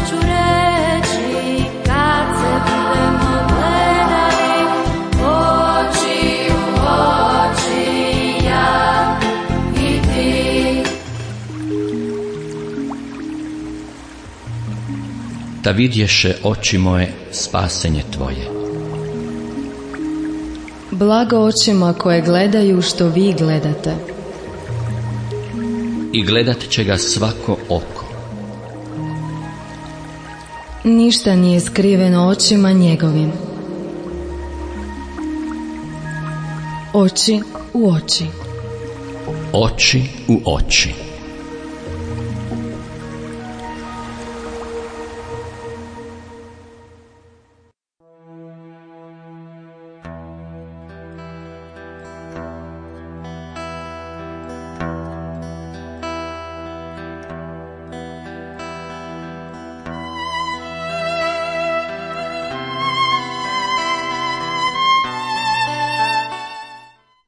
ću reći kad se budemo gledali oči u oči, ja i ti. Da vidješe oči moje spasenje tvoje. Blago očima koje gledaju što vi gledate. I gledat će ga svako oko. Ništa nije skriveno očima njegovim. Oči u oči. Oči u oči.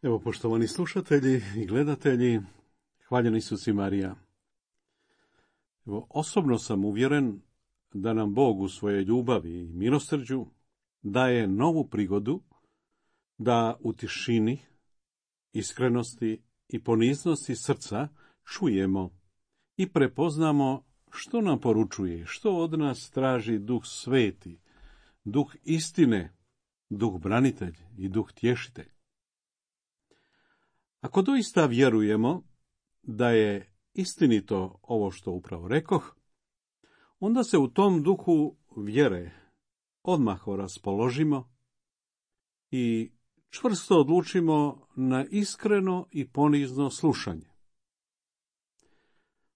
Evo, poštovani slušatelji i gledatelji, hvaljen Isus i Marija. Evo, osobno sam uvjeren da nam Bog u svojoj ljubavi i milosrđu daje novu prigodu da u tišini, iskrenosti i poniznosti srca čujemo i prepoznamo što nam poručuje, što od nas traži Duh Sveti, Duh istine, Duh branitelj i Duh tješitelj. Ako doista vjerujemo da je istinito ovo što upravo rekoh, onda se u tom duhu vjere odmah raspoložimo i čvrsto odlučimo na iskreno i ponizno slušanje.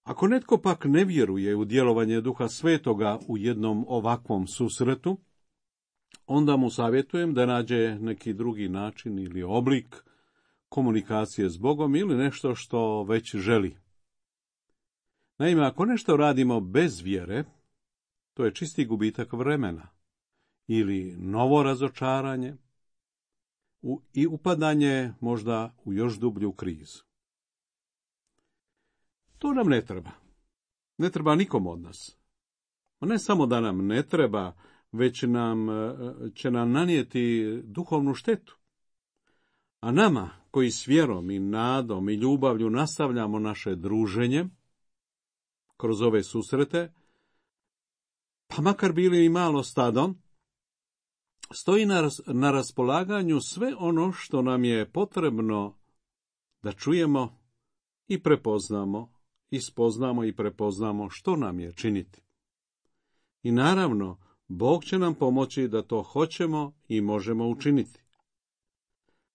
Ako netko pak ne vjeruje u djelovanje Duha Svetoga u jednom ovakvom susretu, onda mu savjetujem da nađe neki drugi način ili oblik komunikacije s Bogom ili nešto što već želi. Naime, ako nešto radimo bez vjere, to je čisti gubitak vremena ili novo razočaranje i upadanje možda u još dublju krizu. To nam ne treba. Ne treba nikom od nas. Ne samo da nam ne treba, već će nam nanijeti duhovnu štetu. A nama, koji s vjerom i nadom i ljubavlju nastavljamo naše druženje kroz ove susrete, pa makar bili i malo stadom, stoji na raspolaganju sve ono što nam je potrebno da čujemo i prepoznamo, spoznamo i prepoznamo što nam je činiti. I naravno, Bog će nam pomoći da to hoćemo i možemo učiniti.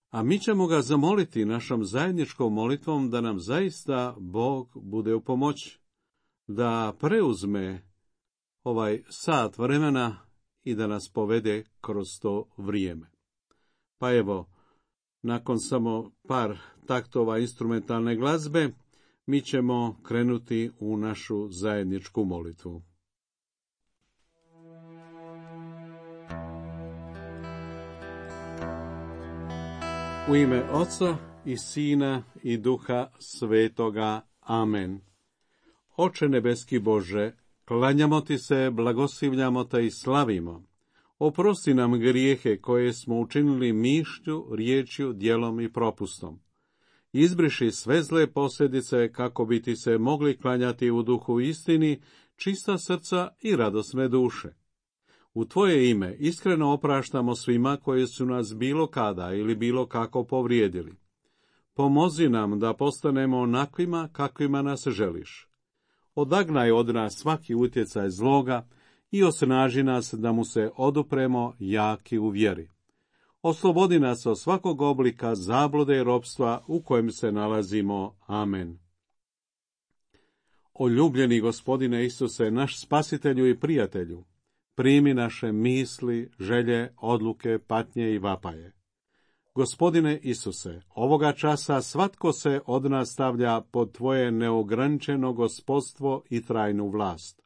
A mi ćemo ga zamoliti našom zajedničkom molitvom da nam zaista Bog bude u pomoć, da preuzme ovaj sat vremena i da nas povede kroz to vrijeme. Pa evo, nakon samo par taktova instrumentalne glazbe, mi ćemo krenuti u našu zajedničku molitvu. U ime Oca i Sina i Duha Svetoga. Amen. Oče nebeski Bože, klanjamo ti se, blagoslivljamo te i slavimo. Oprosti nam grijehe koje smo učinili mišlju, riječju, djelom i propustom. Izbriši sve zle posljedice kako bi ti se mogli klanjati u duhu istini, čista srca i radosne duše. U tvoje ime iskreno opraštamo svima koji su nas bilo kada ili bilo kako povrijedili. Pomozi nam da postanemo onakvima kakvima nas želiš. Odagnaj od nas svaki utjecaj zloga i osnaži nas da mu se odupremo jaki u vjeri. Oslobodi nas od svakog oblika zablude i ropstva u kojem se nalazimo. Amen. O ljubljeni Gospodine Isuse, naš spasitelju i prijatelju, primi naše misli, želje, odluke, patnje i vapaje. Gospodine Isuse, ovoga časa svatko se od nas stavlja pod tvoje neograničeno gospodstvo i trajnu vlast.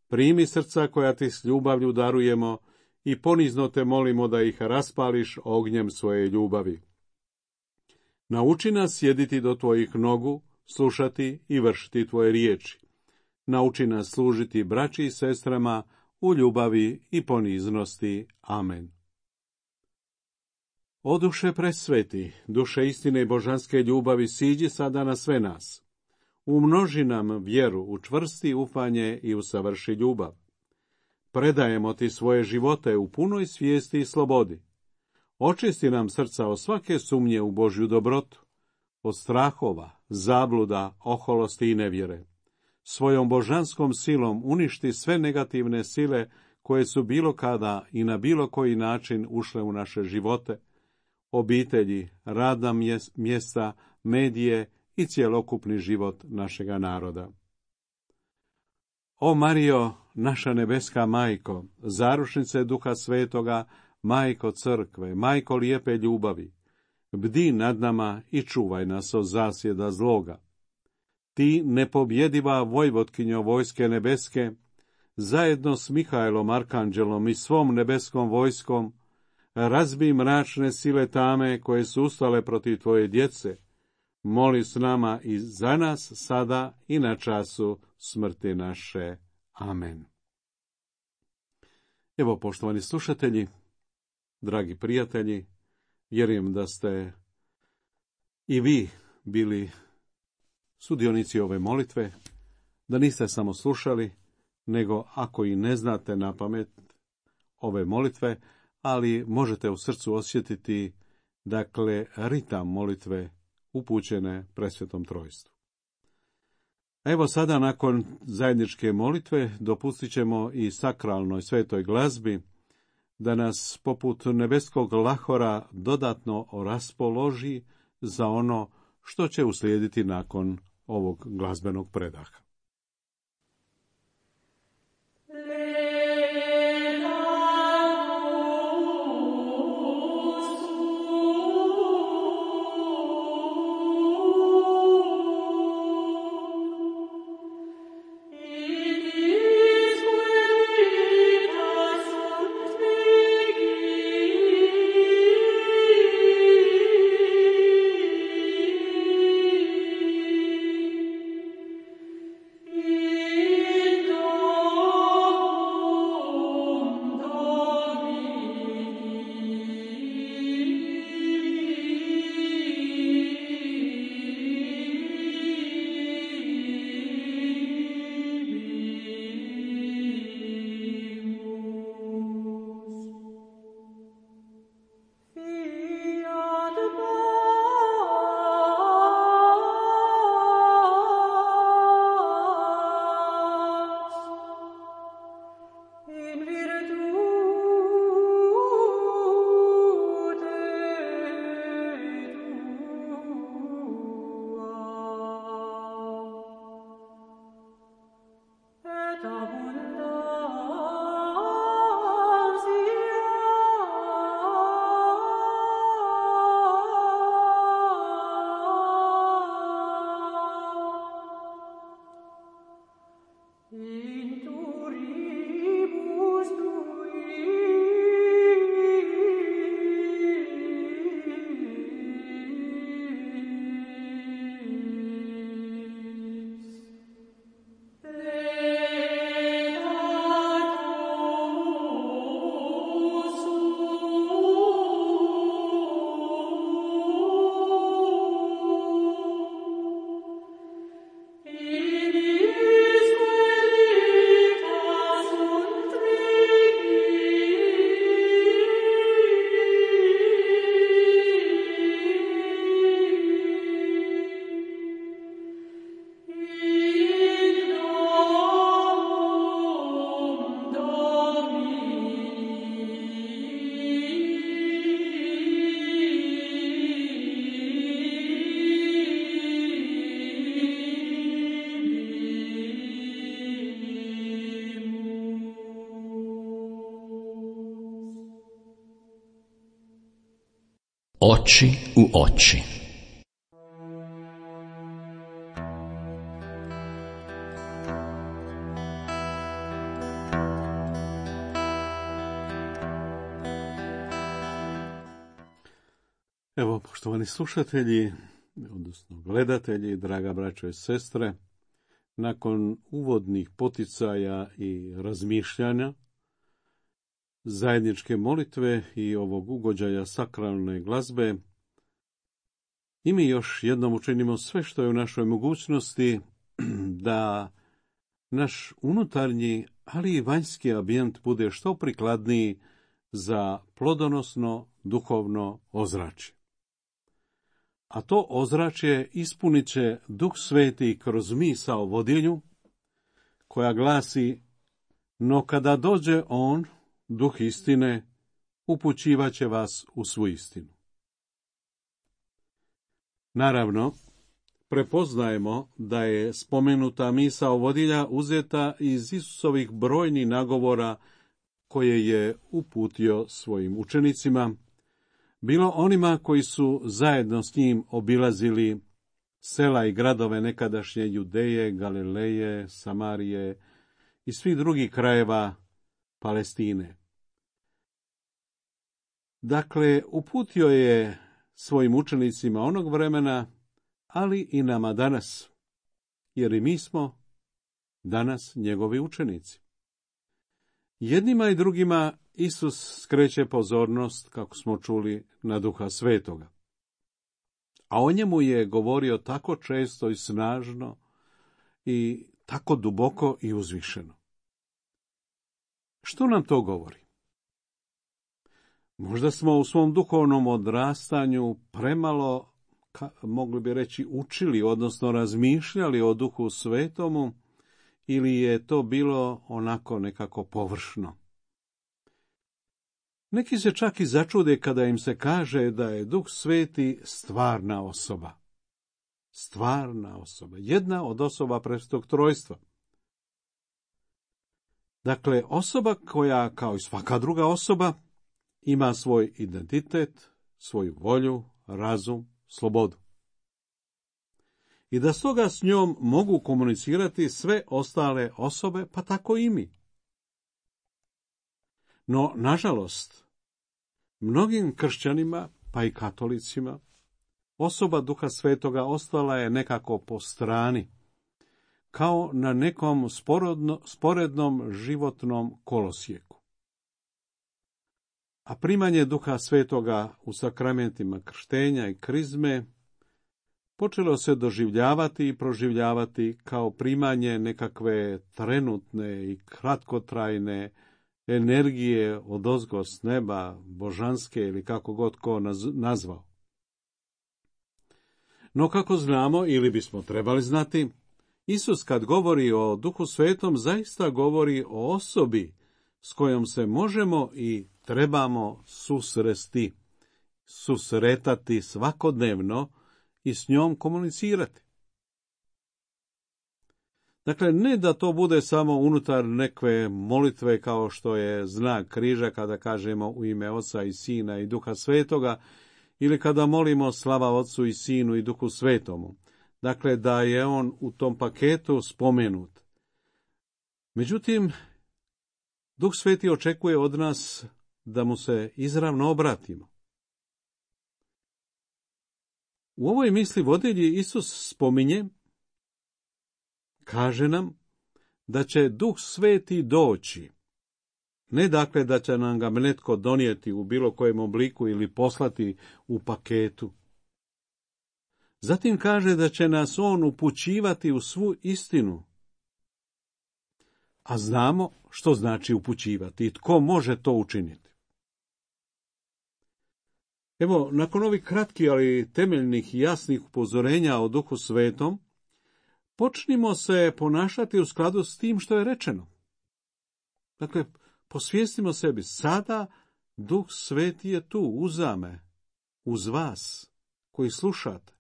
Primi srca koja ti s ljubavlju darujemo i ponizno te molimo da ih raspališ ognjem svoje ljubavi. Nauči nas sjediti do tvojih nogu, slušati i vršiti tvoje riječi. Nauči nas služiti braći i sestrama u ljubavi i poniznosti. Amen. O duše presveti, duše istine i božanske ljubavi, siđi sada na sve nas. Umnoži nam vjeru, učvrsti ufanje i usavrši ljubav. Predajemo ti svoje živote u punoj svijesti i slobodi. Očisti nam srca od svake sumnje u Božju dobrotu, od strahova, zabluda, oholosti i nevjere. Svojom božanskom silom uništi sve negativne sile koje su bilo kada i na bilo koji način ušle u naše živote, obitelji, radna mjesta, medije i cjelokupni život našega naroda. O Marijo, naša nebeska majko, zaručnice Duha Svetoga, majko crkve, majko lijepe ljubavi, bdi nad nama i čuvaj nas od zasjeda zloga. Ti, nepobjediva vojvotkinjo vojske nebeske, zajedno s Mihajlom Arkanđelom i svom nebeskom vojskom, razbij mračne sile tame koje su ustale protiv tvoje djece, moli s nama i za nas sada i na času smrti naše. Amen. Evo, poštovani slušatelji, dragi prijatelji, vjerujem da ste i vi bili sudionici ove molitve, da niste samo slušali, nego ako i ne znate na pamet ove molitve, ali možete u srcu osjetiti, dakle, ritam molitve upućene Presvetom Trojstvu. Evo sada, nakon zajedničke molitve, dopustit ćemo i sakralnoj svetoj glazbi da nas poput nebeskog lahora dodatno raspoloži za ono što će uslijediti nakon ovog glazbenog predaha. Oči u oči. Evo, poštovani slušatelji, odnosno gledatelji, draga braćo i sestre, nakon uvodnih poticaja i razmišljanja, zajedničke molitve i ovog ugođaja sakralne glazbe, i mi još jednom učinimo sve što je u našoj mogućnosti da naš unutarnji, ali i vanjski ambijent bude što prikladniji za plodonosno duhovno ozračje. A to ozračje ispunit će Duh Sveti kroz misao vodilju, koja glasi: no kada dođe on, Duh istine, upućivaće vas u svu istinu. Naravno, prepoznajemo da je spomenuta misao vodilja uzeta iz Isusovih brojnih nagovora koje je uputio svojim učenicima, bilo onima koji su zajedno s njim obilazili sela i gradove nekadašnje Judeje, Galileje, Samarije i svih drugih krajeva Palestine. Dakle, uputio je svojim učenicima onog vremena, ali i nama danas, jer i mi smo danas njegovi učenici. Jednima i drugima Isus skreće pozornost, kako smo čuli, na Duha Svetoga. A o njemu je govorio tako često i snažno i tako duboko i uzvišeno. Što nam to govori? Možda smo u svom duhovnom odrastanju premalo, mogli bi reći, učili, odnosno razmišljali o Duhu Svetomu, ili je to bilo onako nekako površno. Neki se čak i začude kada im se kaže da je Duh Sveti stvarna osoba. Stvarna osoba, jedna od osoba Presvetog Trojstva. Dakle, osoba koja, kao i svaka druga osoba, ima svoj identitet, svoju volju, razum, slobodu. I da stoga s njom mogu komunicirati sve ostale osobe, pa tako i mi. No, nažalost, mnogim kršćanima, pa i katolicima, osoba Duha Svetoga ostala je nekako po strani, kao na nekom sporednom životnom kolosijeku. A primanje Duha Svetoga u sakramentima krštenja i krizme počelo se doživljavati i proživljavati kao primanje nekakve trenutne i kratkotrajne energije odozgo s neba, božanske ili kako god ko nazvao. No kako znamo, ili bismo trebali znati, Isus kad govori o Duhu Svetom zaista govori o osobi s kojom se možemo i trebamo susretati svakodnevno i s njom komunicirati. Dakle, ne da to bude samo unutar neke molitve kao što je znak križa kada kažemo u ime Oca i Sina i Duha Svetoga, ili kada molimo slava Otcu i Sinu i Duhu Svetomu. Dakle, da je on u tom paketu spomenut. Međutim, Duh Sveti očekuje od nas da mu se izravno obratimo. U ovoj misli vodilji Isus spominje, kaže nam da će Duh Sveti doći. Ne dakle da će nam ga netko donijeti u bilo kojem obliku ili poslati u paketu. Zatim kaže da će nas on upućivati u svu istinu. A znamo što znači upućivati i tko može to učiniti. Evo, nakon ovih kratkih, ali temeljnih i jasnih upozorenja o Duhu Svetom, počnimo se ponašati u skladu s tim što je rečeno. Dakle, posvijestimo sebi, sada Duh Sveti je tu, uzame, uz vas, koji slušate.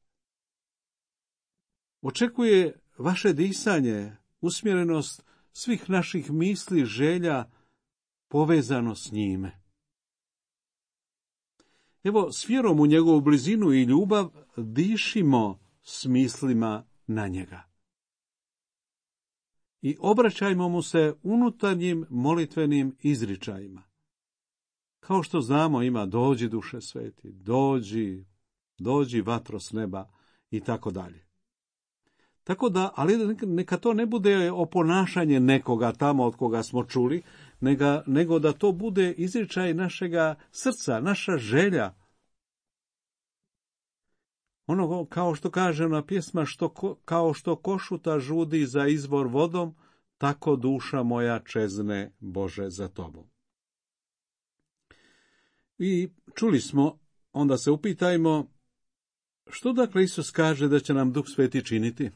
Očekuje vaše disanje, usmjerenost svih naših misli, želja, povezano s njime. Evo, s vjerom u njegovu blizinu i ljubav dišimo s mislima na njega. I obraćajmo mu se unutarnjim molitvenim izričajima. Kao što znamo, ima dođi Duše Sveti, dođi vatro s neba i tako dalje. Tako da, ali neka to ne bude oponašanje nekoga tamo od koga smo čuli, nego da to bude izričaj našega srca, naša želja. Ono, kao što kaže ona pjesma, kao što košuta žudi za izvor vodom, tako duša moja čezne, Bože, za tobom. I čuli smo, onda se upitajmo, što dakle Isus kaže da će nam Duh Sveti činiti?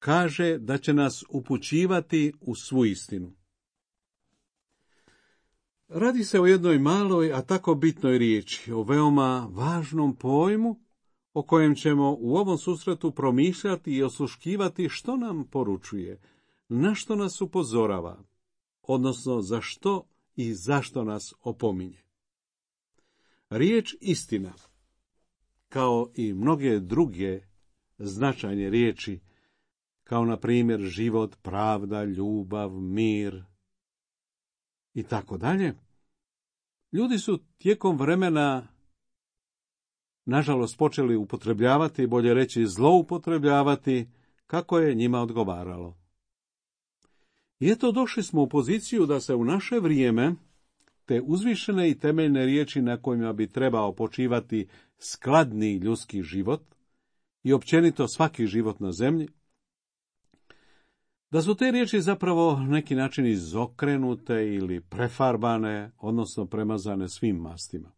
Kaže da će nas upućivati u svu istinu. Radi se o jednoj maloj, a tako bitnoj riječi, o veoma važnom pojmu, o kojem ćemo u ovom susretu promišljati i osluškivati što nam poručuje, na što nas upozorava, odnosno za što i zašto nas opominje. Riječ istina, kao i mnoge druge značajne riječi, kao na primjer život, pravda, ljubav, mir i tako dalje, ljudi su tijekom vremena, nažalost, počeli upotrebljavati, bolje reći zloupotrebljavati, kako je njima odgovaralo. I eto, došli smo u poziciju da se u naše vrijeme te uzvišene i temeljne riječi na kojima bi trebao počivati skladni ljudski život i općenito svaki život na zemlji, da su te riječi zapravo neki način izokrenute ili prefarbane, odnosno premazane svim mastima.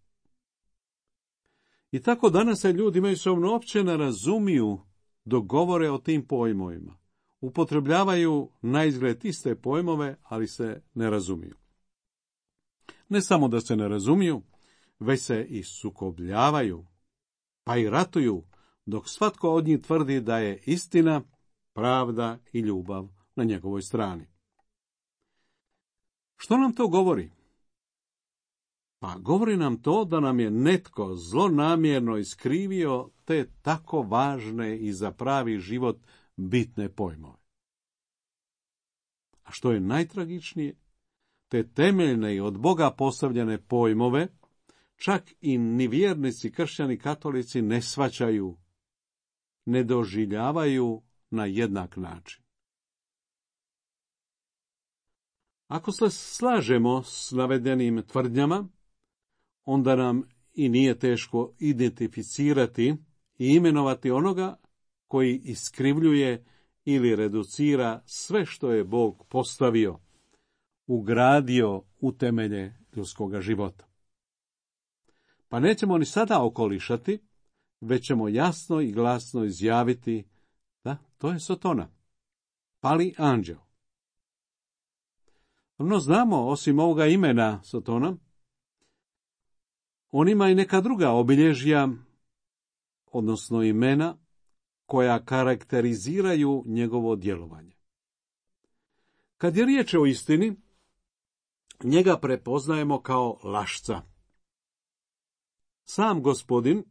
I tako danas se ljudi međusobno uopće ne razumiju dok govore o tim pojmovima. Upotrebljavaju naizgled iste pojmove, ali se ne razumiju. Ne samo da se ne razumiju, već se i sukobljavaju, pa i ratuju, dok svatko od njih tvrdi da je istina, pravda i ljubav na njegovoj strani. Što nam to govori? Pa govori nam to da nam je netko zlonamjerno iskrivio te tako važne i za pravi život bitne pojmove. A što je najtragičnije, te temeljne i od Boga postavljene pojmove, čak i ni vjernici, kršćani, katolici ne shvaćaju, ne doživljavaju na jednak način. Ako se slažemo s navedenim tvrdnjama, onda nam i nije teško identificirati i imenovati onoga koji iskrivljuje ili reducira sve što je Bog postavio, ugradio u temelje ljudskoga života. Pa nećemo ni sada okolišati, već ćemo jasno i glasno izjaviti da to je Sotona, pali anđeo. No znamo, osim ovoga imena Sotona, on ima i neka druga obilježja, odnosno imena, koja karakteriziraju njegovo djelovanje. Kad je riječ o istini, njega prepoznajemo kao lašca. Sam Gospodin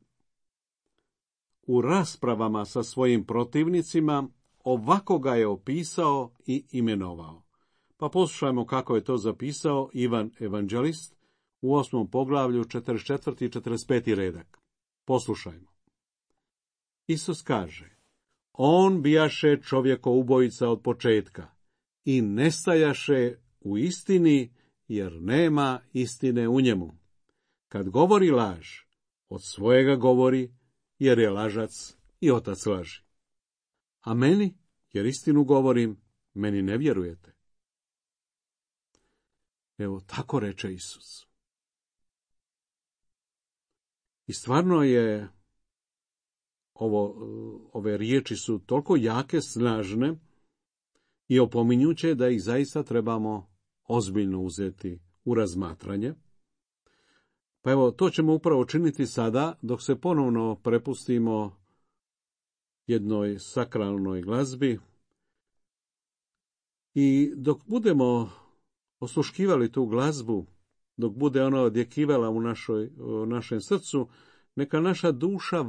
u raspravama sa svojim protivnicima ovako ga je opisao i imenovao. Pa poslušajmo kako je to zapisao Ivan Evanđelist u 8. poglavlju 44. i 45. redak. Poslušajmo. Isus kaže: on bijaše čovjekoubojica od početka i nestajaše u istini, jer nema istine u njemu. Kad govori laž, od svojega govori, jer je lažac i otac laži. A meni, jer istinu govorim, meni ne vjerujete. Evo, tako reče Isus. I stvarno je, ove riječi su toliko jake, snažne i opominjuće da ih zaista trebamo ozbiljno uzeti u razmatranje. Pa evo, to ćemo upravo činiti sada, dok se ponovno prepustimo jednoj sakralnoj glazbi i dok budemo osluškivali tu glazbu, dok bude ona odjekivala u našem srcu, neka naša duša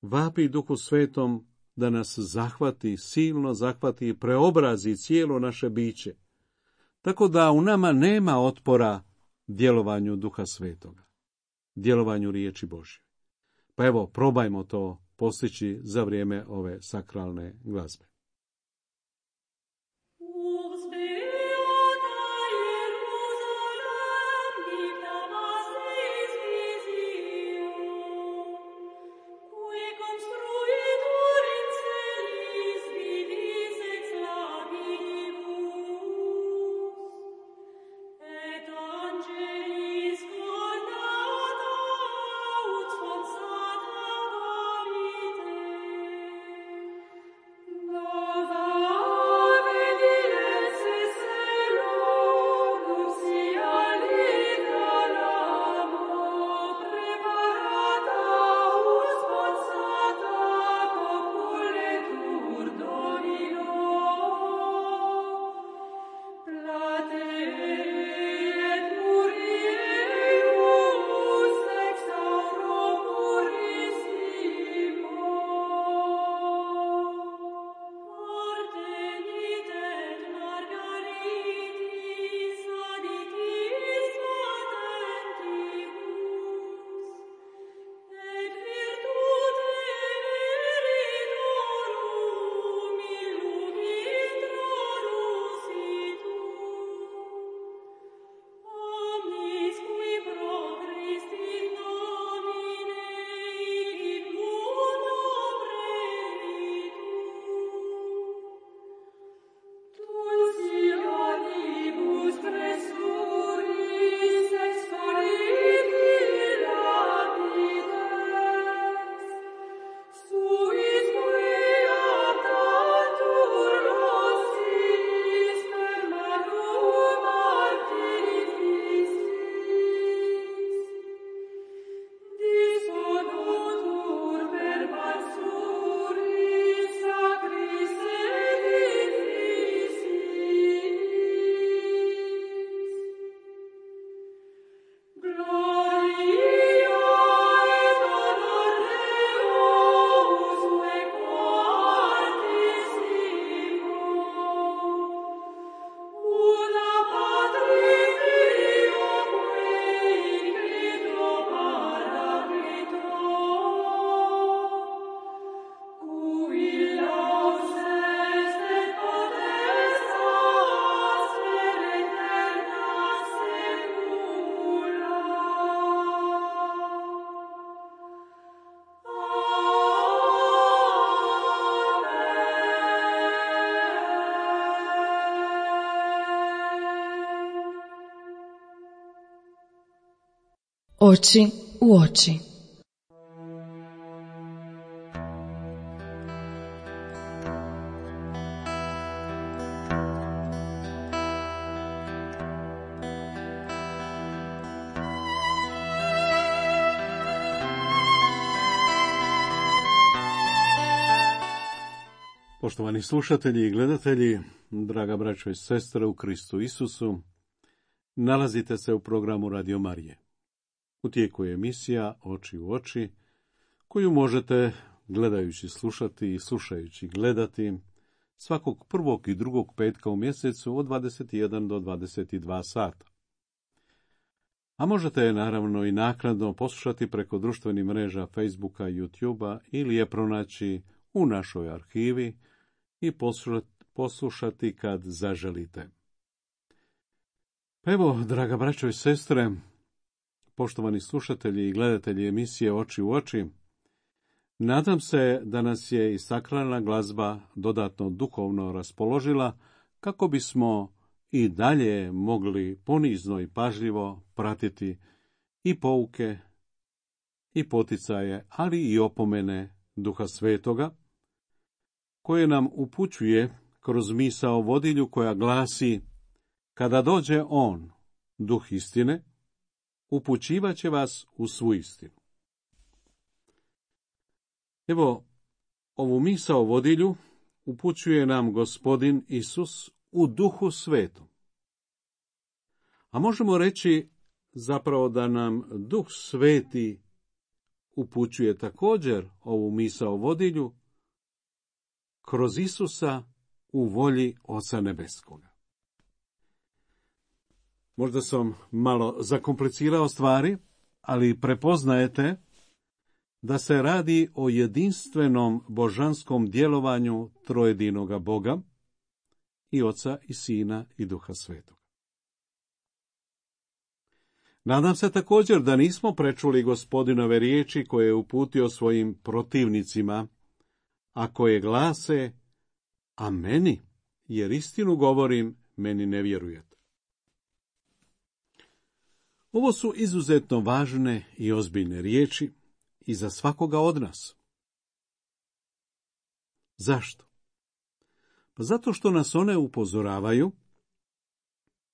vapi Duhu Svetom da nas zahvati, silno zahvati i preobrazi cijelo naše biće, tako da u nama nema otpora djelovanju Duha Svetoga, djelovanju riječi Božje. Pa evo, probajmo to postići za vrijeme ove sakralne glazbe. Oči u oči. Poštovani slušatelji i gledatelji, draga braćo i sestre u Kristu Isusu, nalazite se u programu Radio Marije. U tijeku je emisija Oči u oči, koju možete gledajući slušati i slušajući gledati svakog prvog i drugog petka u mjesecu od 21 do 22 sata. A možete je naravno i naknadno poslušati preko društvenih mreža Facebooka, YouTubea ili je pronaći u našoj arhivi i poslušati kad zaželite. Evo, draga braćo i sestre, poštovani slušatelji i gledatelji emisije Oči u oči, nadam se da nas je i sakralna glazba dodatno duhovno raspoložila kako bismo i dalje mogli ponizno i pažljivo pratiti i pouke i poticaje, ali i opomene Duha Svetoga, koje nam upućuje kroz misao vodilju koja glasi: kada dođe on, Duh istine, upućivaće vas u svu istinu. Evo, ovu misao vodilju upućuje nam Gospodin Isus u Duhu Svetom. A možemo reći zapravo da nam Duh Sveti upućuje također ovu misao vodilju kroz Isusa u volji Oca Nebeskoga. Možda sam malo zakomplicirao stvari, ali prepoznajete da se radi o jedinstvenom božanskom djelovanju trojedinoga Boga, i Oca i Sina i Duha Svetog. Nadam se također da nismo prečuli Gospodinove riječi koje je uputio svojim protivnicima, a koje glase: a meni, jer istinu govorim, meni ne vjerujete. Ovo su izuzetno važne i ozbiljne riječi i za svakoga od nas. Zašto? Pa zato što nas one upozoravaju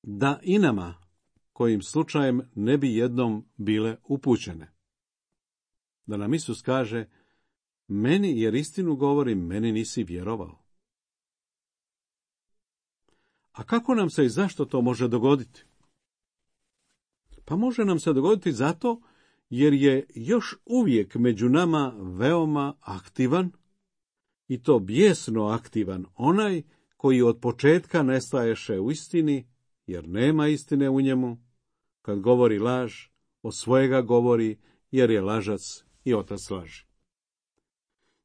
da i nama, kojim slučajem ne bi jednom bile upućene. Da nam Isus kaže: meni, jer istinu govorim, meni nisi vjerovao. A kako nam se i zašto to može dogoditi? Pa može nam se dogoditi zato jer je još uvijek među nama veoma aktivan, i to bijesno aktivan, onaj koji od početka ne staješe u istini, jer nema istine u njemu. Kad govori laž, od svojega govori, jer je lažac i otac laži.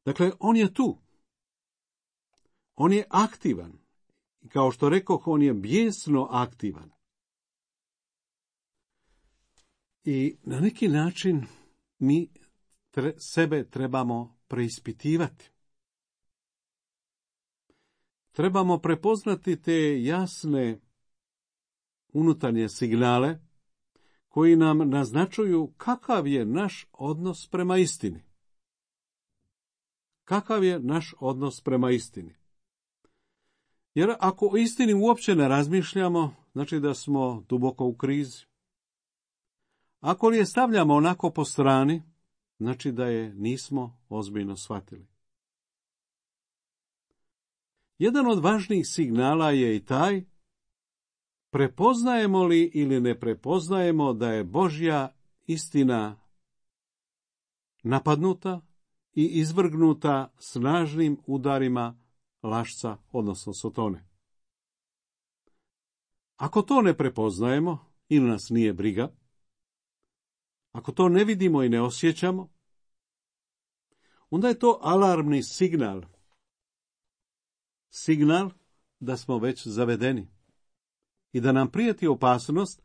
Dakle, on je tu. On je aktivan. I kao što rekoh, on je bijesno aktivan. I na neki način mi sebe trebamo preispitivati. Trebamo prepoznati te jasne unutarnje signale koji nam naznačuju kakav je naš odnos prema istini. Kakav je naš odnos prema istini? Jer ako o istini uopće ne razmišljamo, znači da smo duboko u krizi. Ako li je stavljamo onako po strani, znači da je nismo ozbiljno shvatili. Jedan od važnijih signala je i taj: prepoznajemo li ili ne prepoznajemo da je Božja istina napadnuta i izvrgnuta snažnim udarima lašca, odnosno Sotone. Ako to ne prepoznajemo ili nas nije briga, ako to ne vidimo i ne osjećamo, onda je to alarmni signal. Signal da smo već zavedeni i da nam prijeti opasnost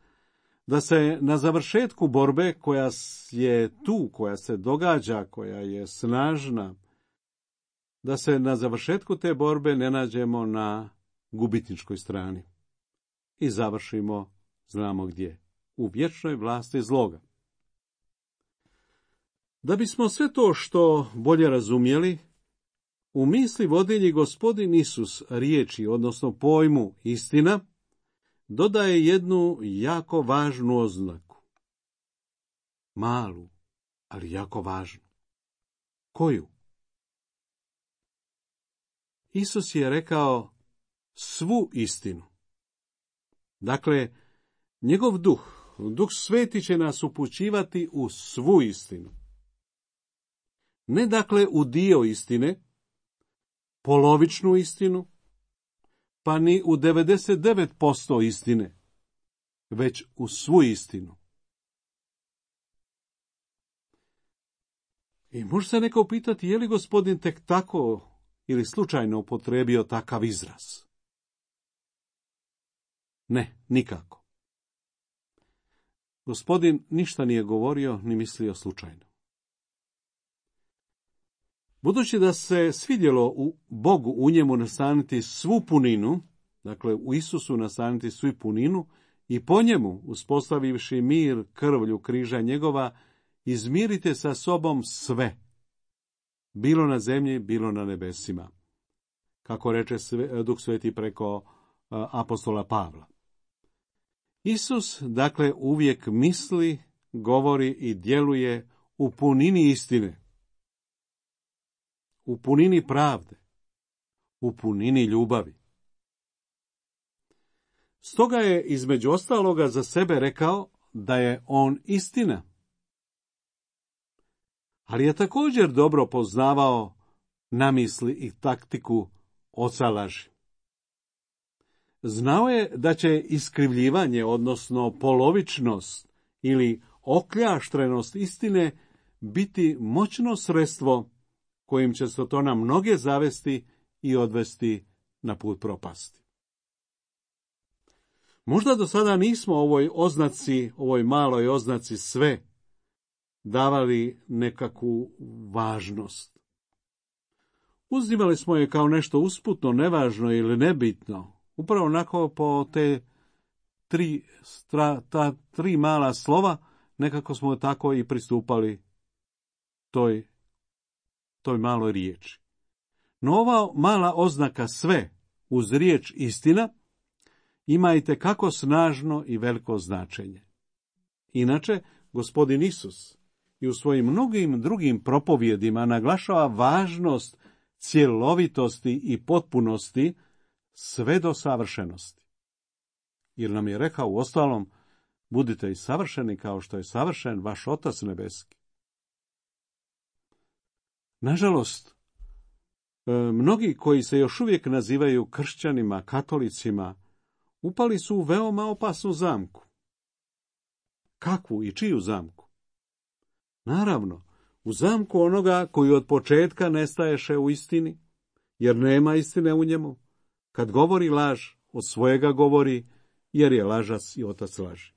da se na završetku borbe koja je tu, koja se događa, koja je snažna, da se na završetku te borbe ne nađemo na gubitničkoj strani i završimo, znamo gdje, u vječnoj vlasti zloga. Da bismo sve to što bolje razumjeli, u misli vodilji Gospodin Isus riječi, odnosno pojmu istina, dodaje jednu jako važnu oznaku. Malu, ali jako važnu. Koju? Isus je rekao svu istinu. Dakle, njegov Duh Sveti će nas upućivati u svu istinu. Ne dakle u dio istine, polovičnu istinu, pa ni u 99% istine, već u svu istinu. I može se neko pitati, je li Gospodin tek tako ili slučajno upotrijebio takav izraz? Ne, nikako. Gospodin ništa nije govorio ni mislio slučajno. Budući da se svidjelo u Bogu u njemu nastaniti svu puninu, dakle u Isusu nastaniti svu puninu, i po njemu, uspostavivši mir krvlju križa njegova, izmirite sa sobom sve, bilo na zemlji, bilo na nebesima, kako reče Duh Sveti preko apostola Pavla. Isus, dakle, uvijek misli, govori i djeluje u punini istine, u punini pravde, u punini ljubavi. Stoga je između ostaloga za sebe rekao da je on istina. Ali je također dobro poznavao namisli i taktiku oca laži. Znao je da će iskrivljivanje, odnosno polovičnost ili okljaštrenost istine biti moćno sredstvo kojim će se to na mnoge zavesti i odvesti na put propasti. Možda do sada nismo ovoj maloj oznaci sve davali nekakvu važnost. Uzimali smo je kao nešto usputno, nevažno ili nebitno, upravo onako po ta tri mala slova, nekako smo tako i pristupali toj maloj riječi. No ova mala oznaka sve uz riječ istina ima itekako snažno i veliko značenje. Inače, Gospodin Isus i u svojim mnogim drugim propovjedima naglašava važnost cjelovitosti i potpunosti sve do savršenosti. Jer nam je rekao uostalom, budite i savršeni kao što je savršen vaš Otac nebeski. Nažalost, mnogi koji se još uvijek nazivaju kršćanima, katolicima, upali su u veoma opasnu zamku. Kakvu i čiju zamku? Naravno, u zamku onoga koji od početka nestaješe u istini, jer nema istine u njemu. Kad govori laž, od svojega govori, jer je lažac i otac laži.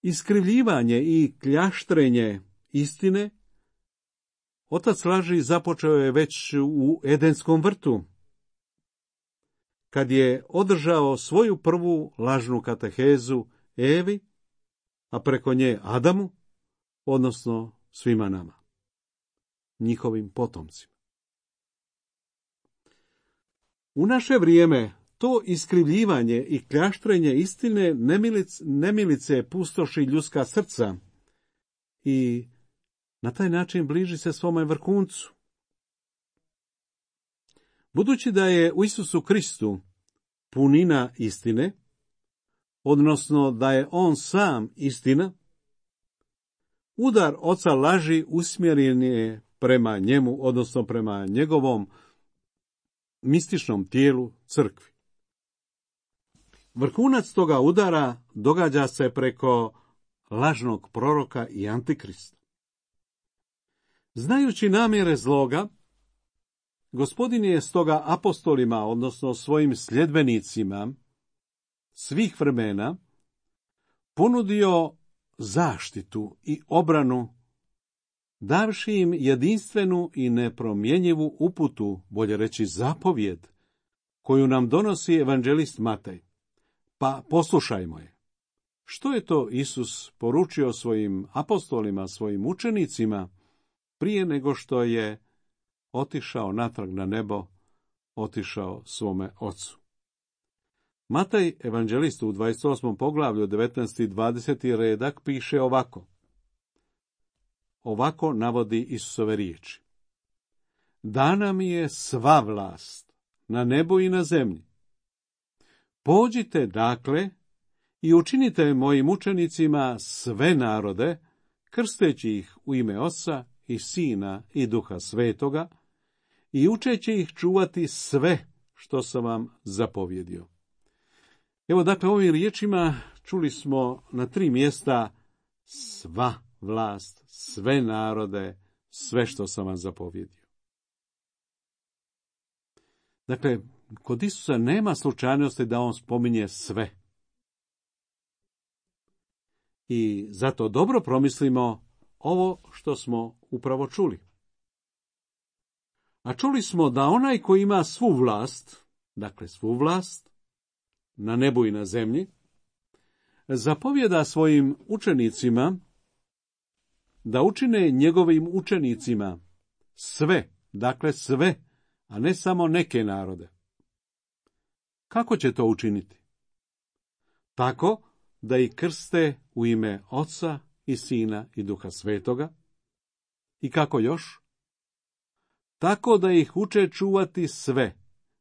Iskrivljivanje i kljaštrenje istine otac laži započeo je već u Edenskom vrtu, kad je održao svoju prvu lažnu katehezu Evi, a preko nje Adamu, odnosno svima nama, njihovim potomcima. U naše vrijeme to iskrivljivanje i kljaštrenje istine nemilice pustoši ljudska srca i na taj način bliži se svome vrhuncu. Budući da je u Isusu Kristu punina istine, odnosno da je on sam istina, udar oca laži usmjeren je prema njemu, odnosno prema njegovom mističnom tijelu crkvi. Vrhunac toga udara događa se preko lažnog proroka i antikrista. Znajući namjere zloga, Gospodin je stoga apostolima, odnosno svojim sljedbenicima svih vremena, ponudio zaštitu i obranu, davši im jedinstvenu i nepromjenjivu uputu, bolje reći zapovjed, koju nam donosi evanđelist Matej. Pa poslušajmo je. Što je to Isus poručio svojim apostolima, svojim učenicima, prije nego što je otišao natrag na nebo, otišao svome ocu? Matej, evanđelist, u 28. poglavlju, 19. i 20. redak, piše ovako. Ovako navodi Isusove riječi. Dana mi je sva vlast na nebu i na zemlji. Pođite, dakle, i učinite mojim učenicima sve narode, krsteći ih u ime Oca i Sina i Duha Svetoga, i učeći ih čuvati sve što sam vam zapovjedio. Evo, dakle, ovim riječima čuli smo na 3 mjesta sva vlast, sve narode, sve što sam vam zapovjedio. Dakle, kod Isusa nema slučajnosti da on spominje sve. I zato dobro promislimo ovo što smo upravo čuli. A čuli smo da onaj koji ima svu vlast, dakle svu vlast, na nebu i na zemlji, zapovjeda svojim učenicima da učine njegovim učenicima sve, dakle sve, a ne samo neke narode. Kako će to učiniti? Tako da ih krste u ime Oca i Sina i Duha Svetoga. I kako još? Tako da ih uče čuvati sve,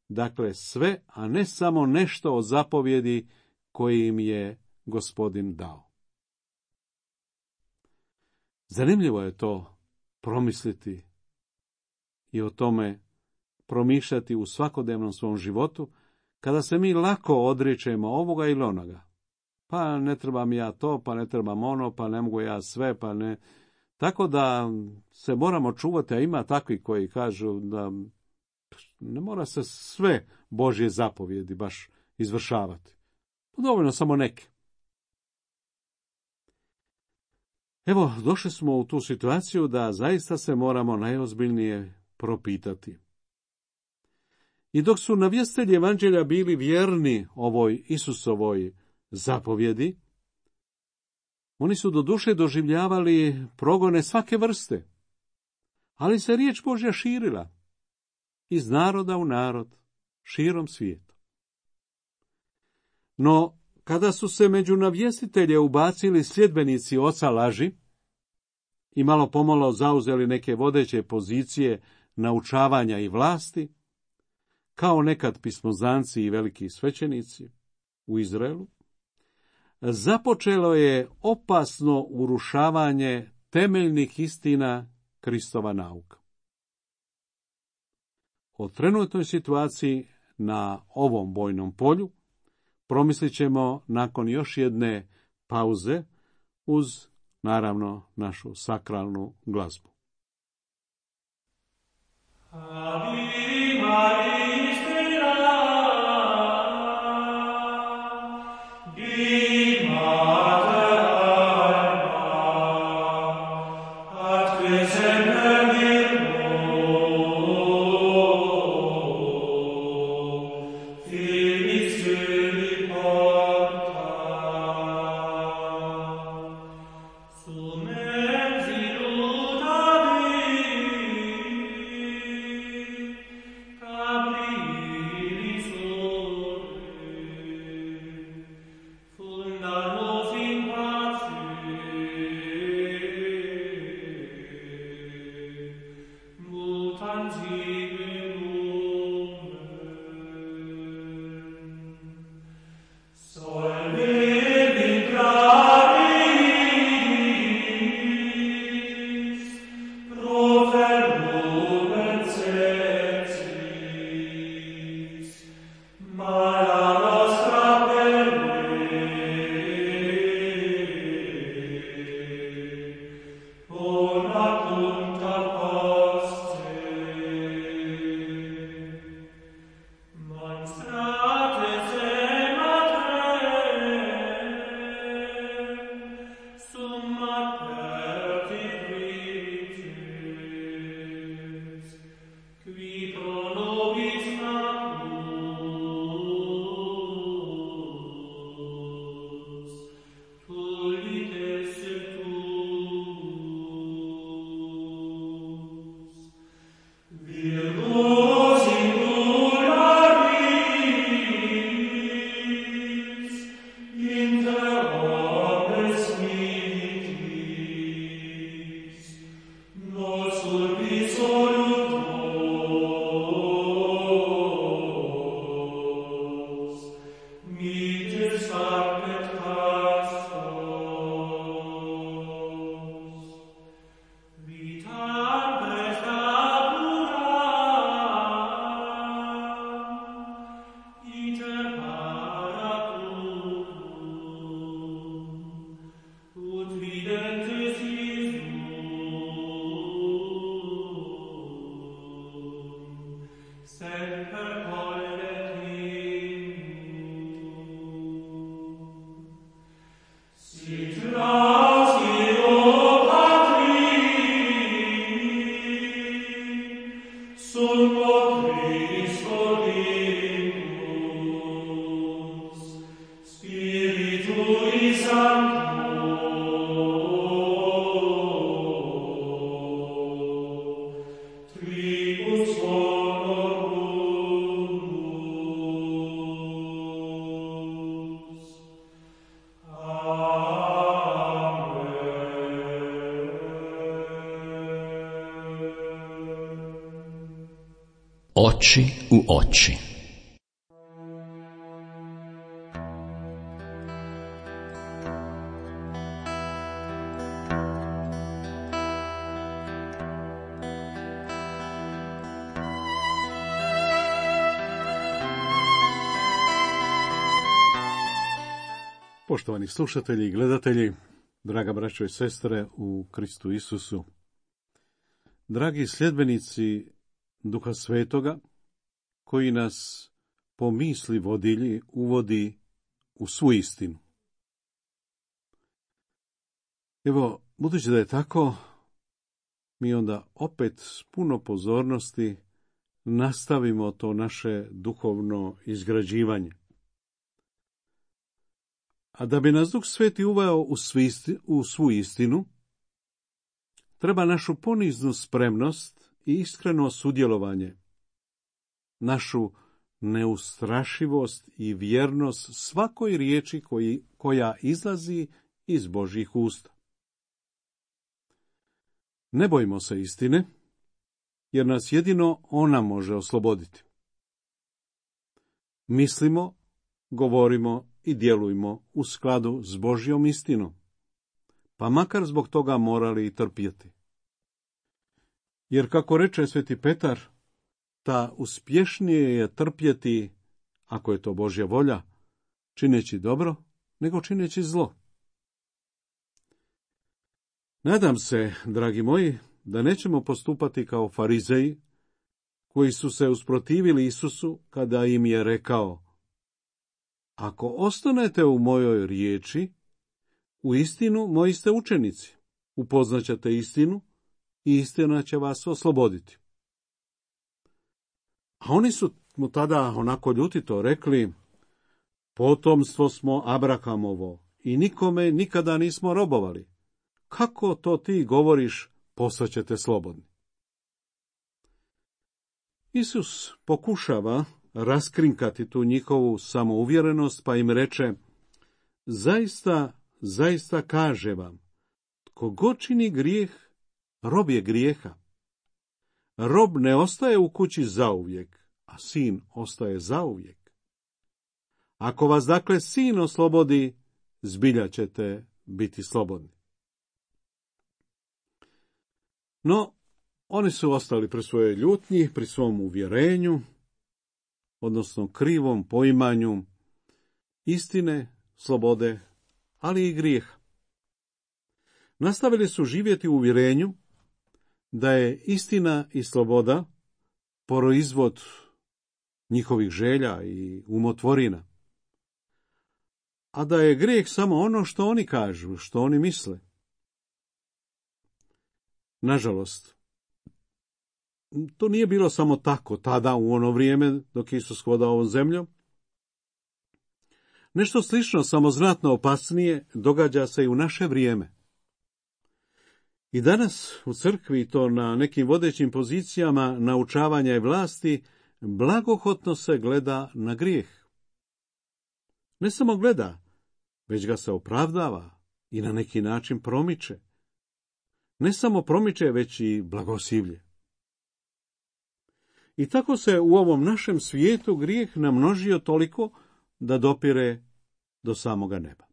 dakle sve, a ne samo nešto od zapovjedi koje im je Gospodin dao. Zanimljivo je to promisliti i o tome promišljati u svakodnevnom svom životu, kada se mi lako odričemo ovoga ili onoga. Pa ne trebam ja to, pa ne trebam ono, pa ne mogu ja sve, pa ne. Tako da se moramo čuvati, a ima takvi koji kažu da ne mora se sve Božje zapovjedi baš izvršavati. Dovoljno samo neke. Evo, došli smo u tu situaciju da zaista se moramo najozbiljnije propitati. I dok su navjestitelji evanđelja bili vjerni ovoj Isusovoj zapovjedi, oni su doduše doživljavali progone svake vrste, ali se riječ Božja širila iz naroda u narod, širom svijeta. No, kada su se među navjestitelje ubacili sljedbenici oca laži i malo pomalo zauzeli neke vodeće pozicije naučavanja i vlasti, kao nekad pismozanci i veliki svećenici u Izraelu, započelo je opasno urušavanje temeljnih istina Kristova nauka. O trenutnoj situaciji na ovom bojnom polju promislit ćemo nakon još jedne pauze uz, naravno, našu sakralnu glazbu. Oči u oči. Poštovani slušatelji i gledatelji, Draga braćo i sestre u Kristu Isusu, dragi sljedbenici Duha Svetoga, koji nas po misli vodilji uvodi u svu istinu. Evo, budući da je tako, mi onda opet s puno pozornosti nastavimo to naše duhovno izgrađivanje. A da bi nas Duh Sveti uveo u svu istinu, treba našu poniznu spremnost i iskreno sudjelovanje, našu neustrašivost i vjernost svakoj riječi koja izlazi iz Božjih usta. Ne bojimo se istine, jer nas jedino ona može osloboditi. Mislimo, govorimo i djelujmo u skladu s Božjom istinom, pa makar zbog toga morali i trpjeti. Jer kako reče sveti Petar, ta uspješnije je trpjeti, ako je to Božja volja, čineći dobro, nego čineći zlo. Nadam se, dragi moji, da nećemo postupati kao farizeji, koji su se usprotivili Isusu kada im je rekao: ako ostanete u mojoj riječi, u istinu moji ste učenici, upoznaćete istinu i istina će vas osloboditi. A oni su mu tada onako ljutito rekli: potomstvo smo Abrahamovo i nikome nikada nismo robovali. Kako to ti govoriš, postaćete slobodni? Isus pokušava raskrinkati tu njihovu samouvjerenost, pa im reče: zaista kaže vam, tko god čini grijeh, rob je grijeha. Rob ne ostaje u kući zauvijek, a sin ostaje zauvijek. Ako vas dakle sin oslobodi, zbilja ćete biti slobodni. No, oni su ostali pri svojoj ljutnji, pri svom uvjerenju, odnosno krivom poimanju istine, slobode, ali i grijeha. Nastavili su živjeti u uvjerenju da je istina i sloboda proizvod njihovih želja i umotvorina, a da je grijeh samo ono što oni kažu, što oni misle. Nažalost, to nije bilo samo tako tada u ono vrijeme dok je Isus hodao ovom zemljom. Nešto slično, samo znatno opasnije, događa se i u naše vrijeme. I danas u crkvi, i to na nekim vodećim pozicijama naučavanja i vlasti, blagohotno se gleda na grijeh. Ne samo gleda, već ga se opravdava i na neki način promiče. Ne samo promiče, već i blagosivlje. I tako se u ovom našem svijetu grijeh namnožio toliko da dopire do samoga neba.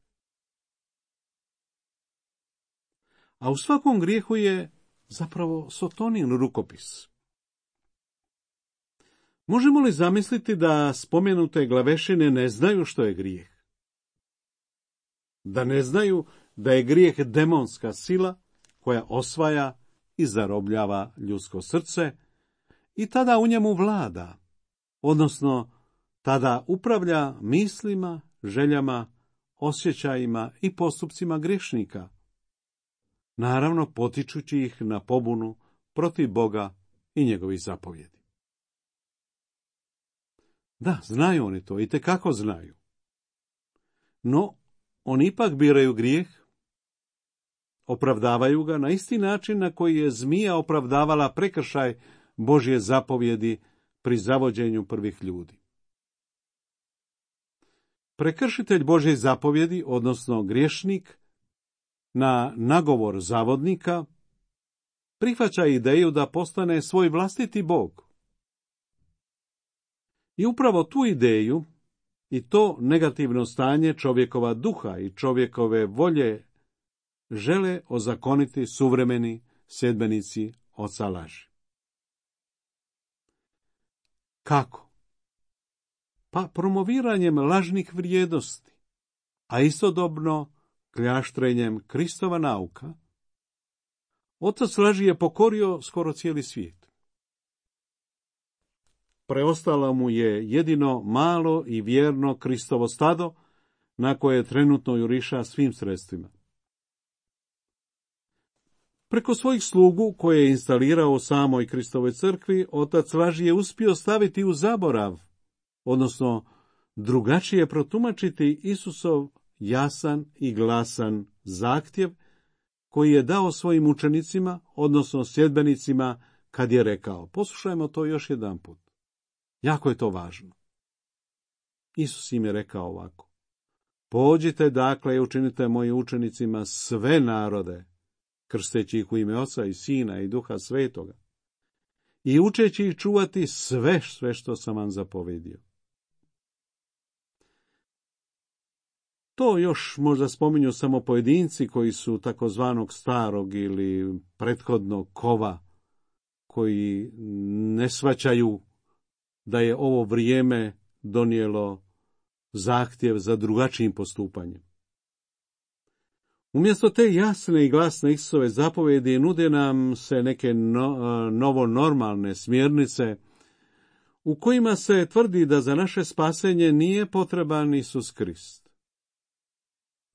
A u svakom grijehu je zapravo Sotonin rukopis. Možemo li zamisliti da spomenute glavešine ne znaju što je grijeh? Da ne znaju da je grijeh demonska sila koja osvaja i zarobljava ljudsko srce i tada u njemu vlada, odnosno tada upravlja mislima, željama, osjećajima i postupcima griješnika, naravno potičući ih na pobunu protiv Boga i njegovih zapovjedi. Da, znaju oni to, itekako znaju. No, oni ipak biraju grijeh, opravdavaju ga na isti način na koji je zmija opravdavala prekršaj Božje zapovjedi pri zavođenju prvih ljudi. Prekršitelj Božje zapovjedi, odnosno griješnik, na nagovor zavodnika, prihvaća ideju da postane svoj vlastiti Bog. I upravo tu ideju i to negativno stanje čovjekova duha i čovjekove volje žele ozakoniti suvremeni sljedbenici oca laži. Kako? Pa promoviranjem lažnih vrijednosti, a istodobno kljaštrenjem Kristova nauka, otac laži je pokorio skoro cijeli svijet. Preostalo mu je jedino malo i vjerno Kristovo stado, na koje trenutno juriša svim sredstvima. Preko svojih slugu, koje je instalirao u samoj Kristovoj crkvi, otac laži je uspio staviti u zaborav, odnosno drugačije protumačiti Isusov jasan i glasan zahtjev koji je dao svojim učenicima, odnosno sljedbenicima, kad je rekao. Poslušajmo to još jedanput. Jako je to važno. Isus im je rekao ovako: pođite dakle i učinite mojim učenicima sve narode, krsteći ih u ime Oca i Sina i Duha Svetoga, i učeći ih čuvati sve što sam vam zapovedio. To još možda spominju samo pojedinci koji su takozvanog starog ili prethodnog kova, koji ne shvaćaju da je ovo vrijeme donijelo zahtjev za drugačijim postupanjem. Umjesto te jasne i glasne Isusove zapovjedi nude nam se neke novonormalne smjernice u kojima se tvrdi da za naše spasenje nije potreban Isus Krist,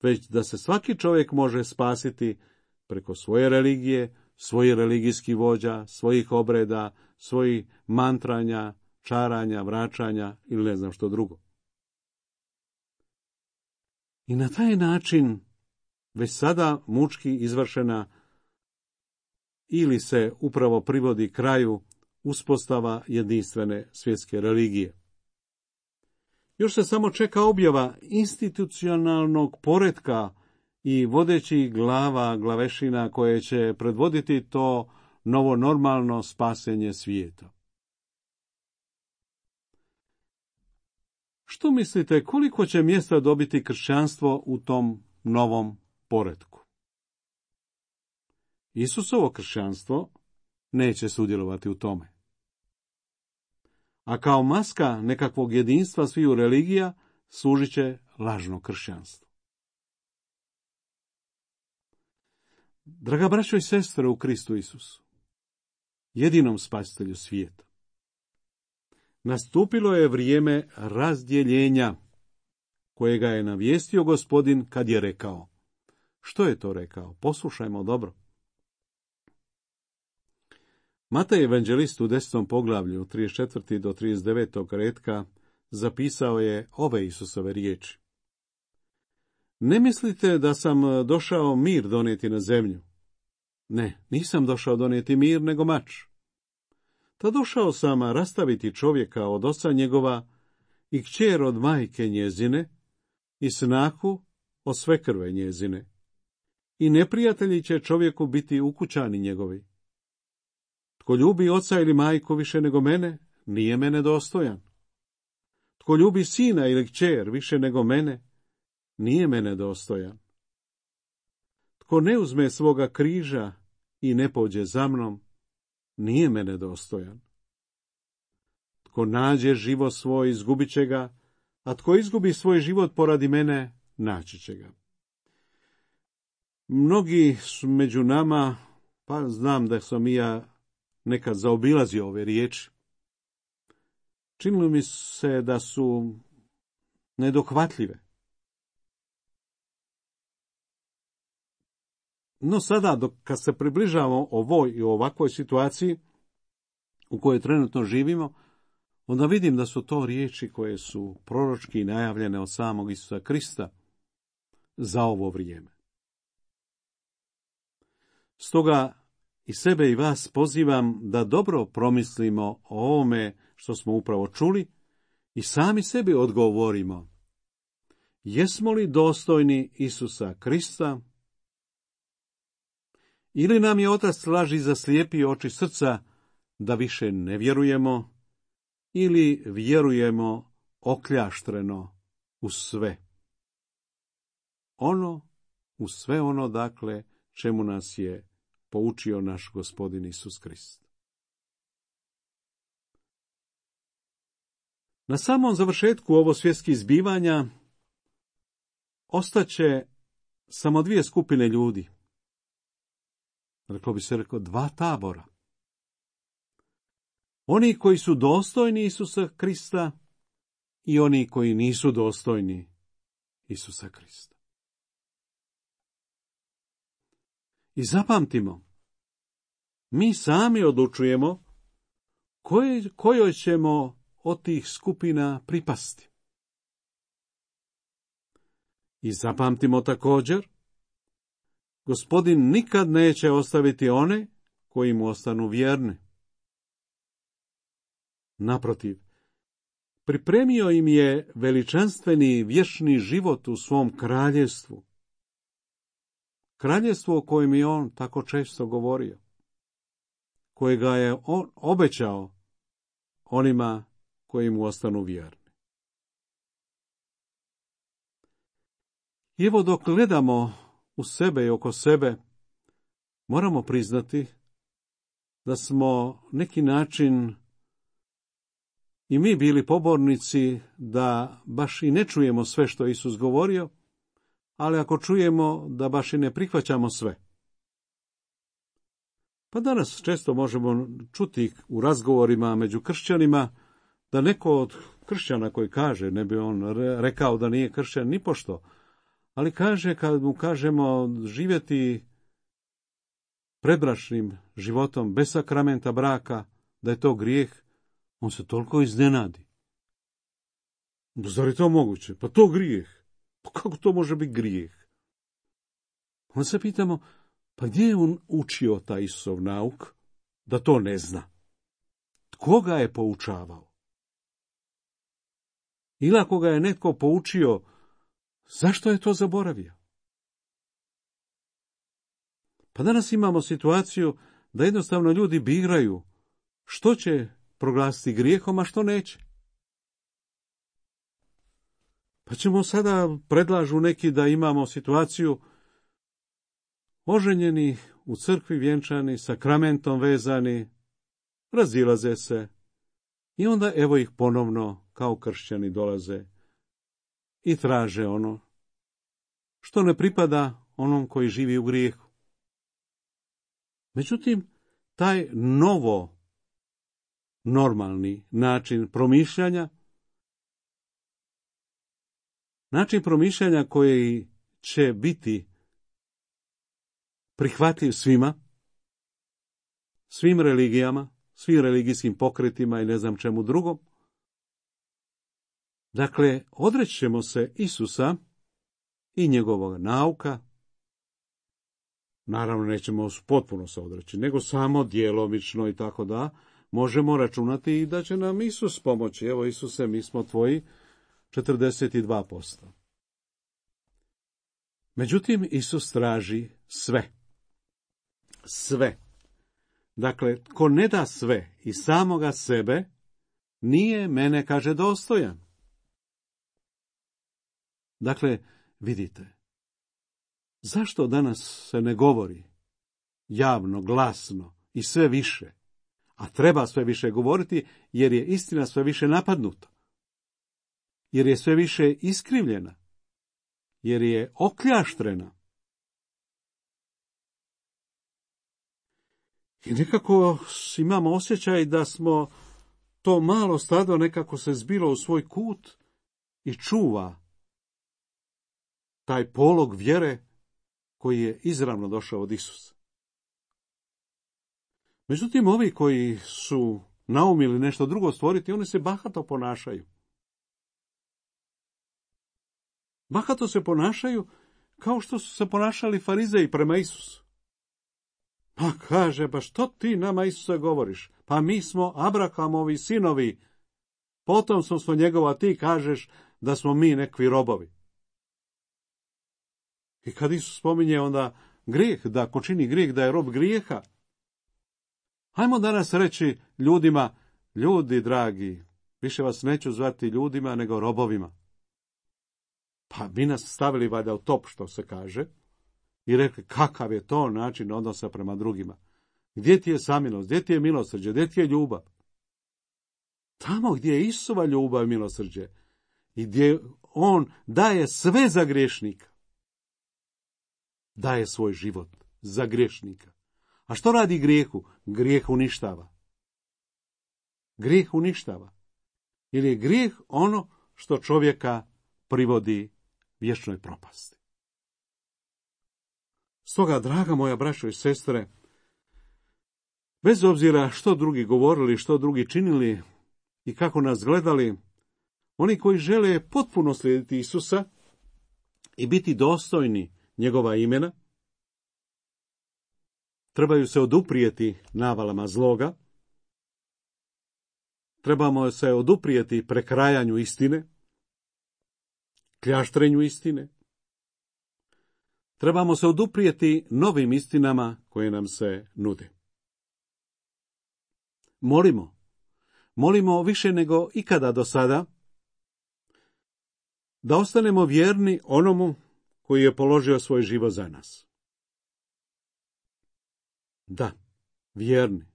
već da se svaki čovjek može spasiti preko svoje religije, svojih religijskih vođa, svojih obreda, svojih mantranja, čaranja, vraćanja ili ne znam što drugo. I na taj način već sada mučki izvršena ili se upravo privodi kraju uspostava jedinstvene svjetske religije. Još se samo čeka objava institucionalnog poretka i vodećih glavešina koje će predvoditi to novonormalno spasenje svijeta. Što mislite, koliko će mjesta dobiti kršćanstvo u tom novom poretku? Isusovo kršćanstvo neće sudjelovati u tome. A kao maska nekakvog jedinstva sviju religija služit će lažno kršćanstvo. Draga braćo i sestre u Kristu Isusu, jedinom spasitelju svijeta, nastupilo je vrijeme razdjeljenja kojega je navijestio Gospodin kad je rekao. Što je to rekao? Poslušajmo dobro. Matej evanđelist u 10. poglavlju, 34. do 39. retka, zapisao je ove Isusove riječi. Ne mislite da sam došao mir donijeti na zemlju? Ne, nisam došao donijeti mir, nego mač. Ta došao sam rastaviti čovjeka od oca njegova i kćer od majke njezine i snahu od svekrve njezine. I neprijatelji će čovjeku biti ukućani njegovi. Tko ljubi oca ili majku više nego mene, nije mene dostojan. Tko ljubi sina ili kćer više nego mene, nije mene dostojan. Tko ne uzme svoga križa i ne pođe za mnom, nije mene dostojan. Tko nađe život svoj, izgubit će ga, a tko izgubi svoj život poradi mene, naći će ga. Mnogi su među nama, pa znam da sam i ja nekad zaobilazio ove riječi. Činilo mi se da su nedohvatljive. No sada, kad se približavamo ovoj i ovakvoj situaciji u kojoj trenutno živimo, onda vidim da su to riječi koje su proročki najavljene od samog Isusa Krista za ovo vrijeme. Stoga i sebe i vas pozivam da dobro promislimo o ovome što smo upravo čuli i sami sebi odgovorimo. Jesmo li dostojni Isusa Krista? Ili nam je Otac laži zaslijepio oči srca da više ne vjerujemo, ili vjerujemo okljaštreno u sve. U sve ono, dakle, čemu nas je poučio naš Gospodin Isus Krist. Na samom završetku ovo svjetskih zbivanja ostaće samo dvije skupine ljudi. Reklo bi se dva tabora. Oni koji su dostojni Isusa Krista i oni koji nisu dostojni Isusa Krista. I zapamtimo, mi sami odlučujemo kojoj ćemo od tih skupina pripasti. I zapamtimo također, Gospodin nikad neće ostaviti one koji mu ostanu vjerni. Naprotiv, pripremio im je veličanstveni vječni život u svom kraljevstvu. Kraljevstvo o kojem je on tako često govorio, kojega je on obećao onima koji mu ostanu vjerni. I evo dok gledamo u sebe i oko sebe, moramo priznati da smo neki način i mi bili pobornici da baš i ne čujemo sve što je Isus govorio, ali ako čujemo da baš i ne prihvaćamo sve. Pa danas često možemo čuti u razgovorima među kršćanima da neko od kršćana koji kaže, ne bi on rekao da nije kršćan nipošto, ali kaže kad mu kažemo živjeti predbračnim životom bez sakramenta braka, da je to grijeh, on se toliko iznenadi. Zar je to moguće? Pa to grijeh. Pa kako to može biti grijeh? Onda se pitamo, pa gdje je on učio taj Isusov nauk da to ne zna? Tko ga je poučavao? Ili ako ga je netko poučio, zašto je to zaboravio? Pa danas imamo situaciju da jednostavno ljudi biraju što će proglasiti grijehom, a što neće. Pa ćemo sada, predlažu neki da imamo situaciju oženjeni, u crkvi vjenčani, sakramentom vezani, razilaze se i onda evo ih ponovno kao kršćani dolaze i traže ono što ne pripada onom koji živi u grijehu. Međutim, taj normalni način promišljanja koji će biti prihvatljiv svima, svim religijama, svim religijskim pokretima i ne znam čemu drugom. Dakle, odrećemo se Isusa i njegovog nauka. Naravno, nećemo potpuno se odreći, nego samo djelomično i tako da možemo računati i da će nam Isus pomoći. Evo, Isuse, mi smo tvoji 42%. Međutim, Isus traži sve. Sve. Dakle, ko ne da sve i samoga sebe, nije mene, kaže, dostojan. Dakle, vidite, zašto danas se ne govori javno, glasno i sve više, a treba sve više govoriti, jer je istina sve više napadnuta, jer je sve više iskrivljena, jer je okljaštrena. I nekako imamo osjećaj da smo to malo stado nekako se zbilo u svoj kut i čuva taj polog vjere koji je izravno došao od Isusa. Međutim, ovi koji su naumili nešto drugo stvoriti, oni se bahato ponašaju. Bahato se ponašaju kao što su se ponašali farizeji prema Isusu. Pa kaže, pa što ti nama, Isuse, govoriš? Pa mi smo Abrahamovi sinovi, potomstvo smo njegova, ti kažeš da smo mi nekvi robovi. I kad Isus spominje onda grijeh, da ko čini grijeh, da je rob grijeha, hajmo danas reći ljudima, ljudi dragi, više vas neću zvati ljudima nego robovima. Pa bi nas stavili valjda u top, što se kaže, i rekli kakav je to način odnosa prema drugima. Gdje ti je samilost, gdje ti je milosrđe, gdje ti je ljubav? Tamo gdje je Isusova ljubav i milosrđe i gdje on daje sve za griješnika. daje svoj život za griješnika. A što radi grijehu? Grijeh uništava. Grijeh uništava. Jer je grijeh ono što čovjeka privodi vječnoj propasti. Stoga, draga moja braćo i sestre, bez obzira što drugi govorili, što drugi činili i kako nas gledali, oni koji žele potpuno slijediti Isusa i biti dostojni njegova imena, trebaju se oduprijeti navalama zloga, trebamo se oduprijeti prekrajanju istine, kljaštrenju istine, trebamo se oduprijeti novim istinama koje nam se nude. Molimo više nego ikada do sada, da ostanemo vjerni onomu koji je položio svoj život za nas. Da, vjerni.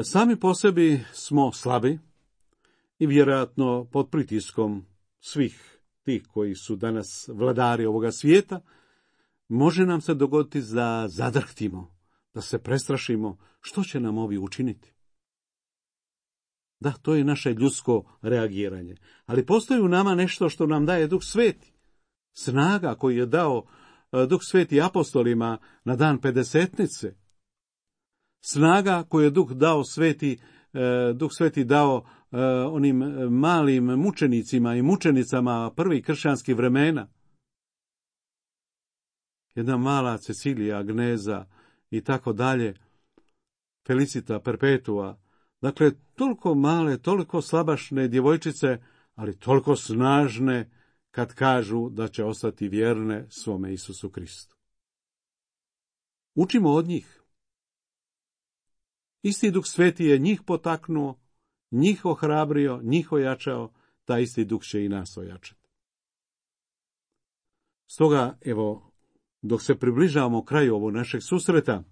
Sami po sebi smo slabi i vjerojatno pod pritiskom svih tih koji su danas vladari ovoga svijeta, može nam se dogoditi da zadrhtimo, da se prestrašimo što će nam ovi učiniti. Da, to je naše ljudsko reagiranje. Ali postoji u nama nešto što nam daje Duh Sveti. Snaga koju je dao Duh Sveti apostolima na dan Pedesetnice. Snaga koju je Duh Sveti dao onim malim mučenicima i mučenicama prvih kršćanskih vremena. Jedna mala Cecilija, Agneza i tako dalje, Felicita, Perpetua. Dakle, toliko male, toliko slabašne djevojčice, ali toliko snažne kad kažu da će ostati vjerne svome Isusu Kristu. Učimo od njih. Isti Duh Sveti je njih potaknuo, njih ohrabrio, njih ojačao, taj isti Duh će i nas ojačati. Stoga, evo, dok se približavamo kraju ovog našeg susreta,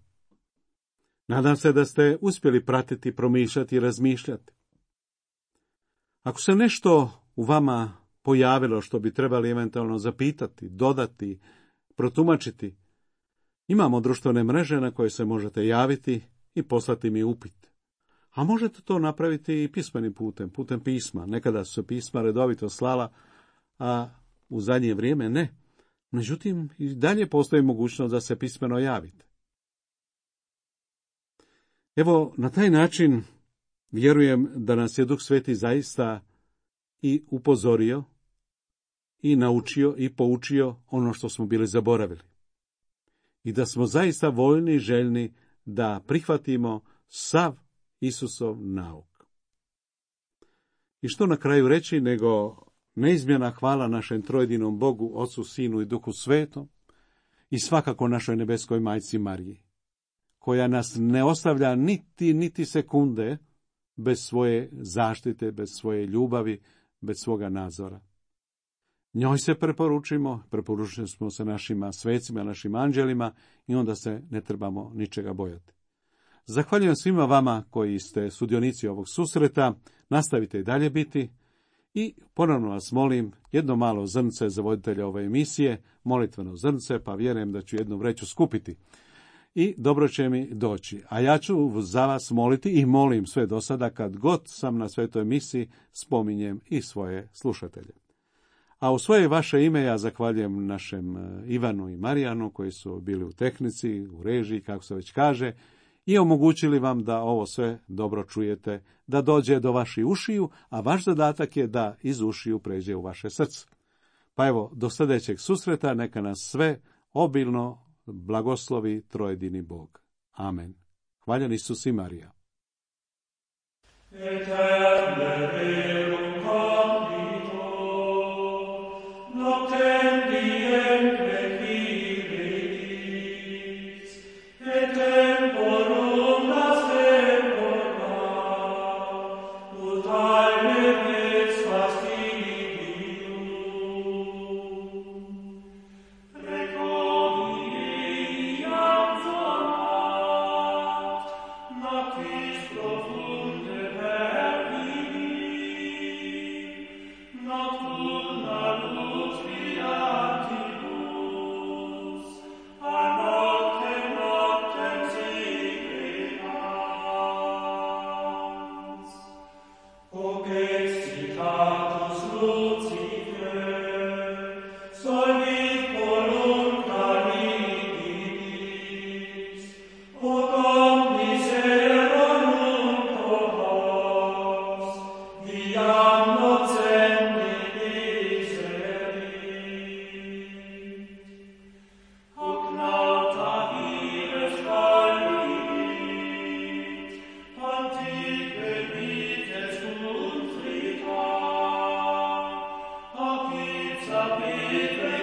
nadam se da ste uspjeli pratiti, promišljati i razmišljati. Ako se nešto u vama pojavilo što bi trebali eventualno zapitati, dodati, protumačiti, imamo društvene mreže na koje se možete javiti i poslati mi upit. A možete to napraviti i pismenim putem pisma. Nekada su se pisma redovito slala, a u zadnje vrijeme ne. Međutim, i dalje postoji mogućnost da se pismeno javite. Evo, na taj način vjerujem da nas je Duh Sveti zaista i upozorio, i naučio, i poučio ono što smo bili zaboravili. I da smo zaista voljni i željni da prihvatimo sav Isusov nauk. I što na kraju reći, nego neizmjerna hvala našem trojedinom Bogu, Ocu, Sinu i Duhu Svetom, i svakako našoj nebeskoj majci Mariji, koja nas ne ostavlja niti sekunde bez svoje zaštite, bez svoje ljubavi, bez svoga nadzora. Njoj se preporučili smo se našima svecima, našim anđelima i onda se ne trebamo ničega bojati. Zahvaljujem svima vama koji ste sudionici ovog susreta, nastavite i dalje biti i ponovno vas molim jedno malo zrnce za voditelja ove emisije, molitveno zrnce, pa vjerujem da ću jednu vreću skupiti. I dobro će mi doći. A ja ću za vas moliti i molim sve do sada kad god sam na svetoj emisiji spominjem i svoje slušatelje. A u svoje vaše ime ja zahvaljujem našem Ivanu i Marijanu koji su bili u tehnici, u režiji, kako se već kaže, i omogućili vam da ovo sve dobro čujete, da dođe do vaših ušiju, a vaš zadatak je da iz ušiju pređe u vaše srce. Pa evo, do sljedećeg susreta, neka nas sve obilno blagoslovi trojedini Bog. Amen. Hvaljen Isus i Marija. capite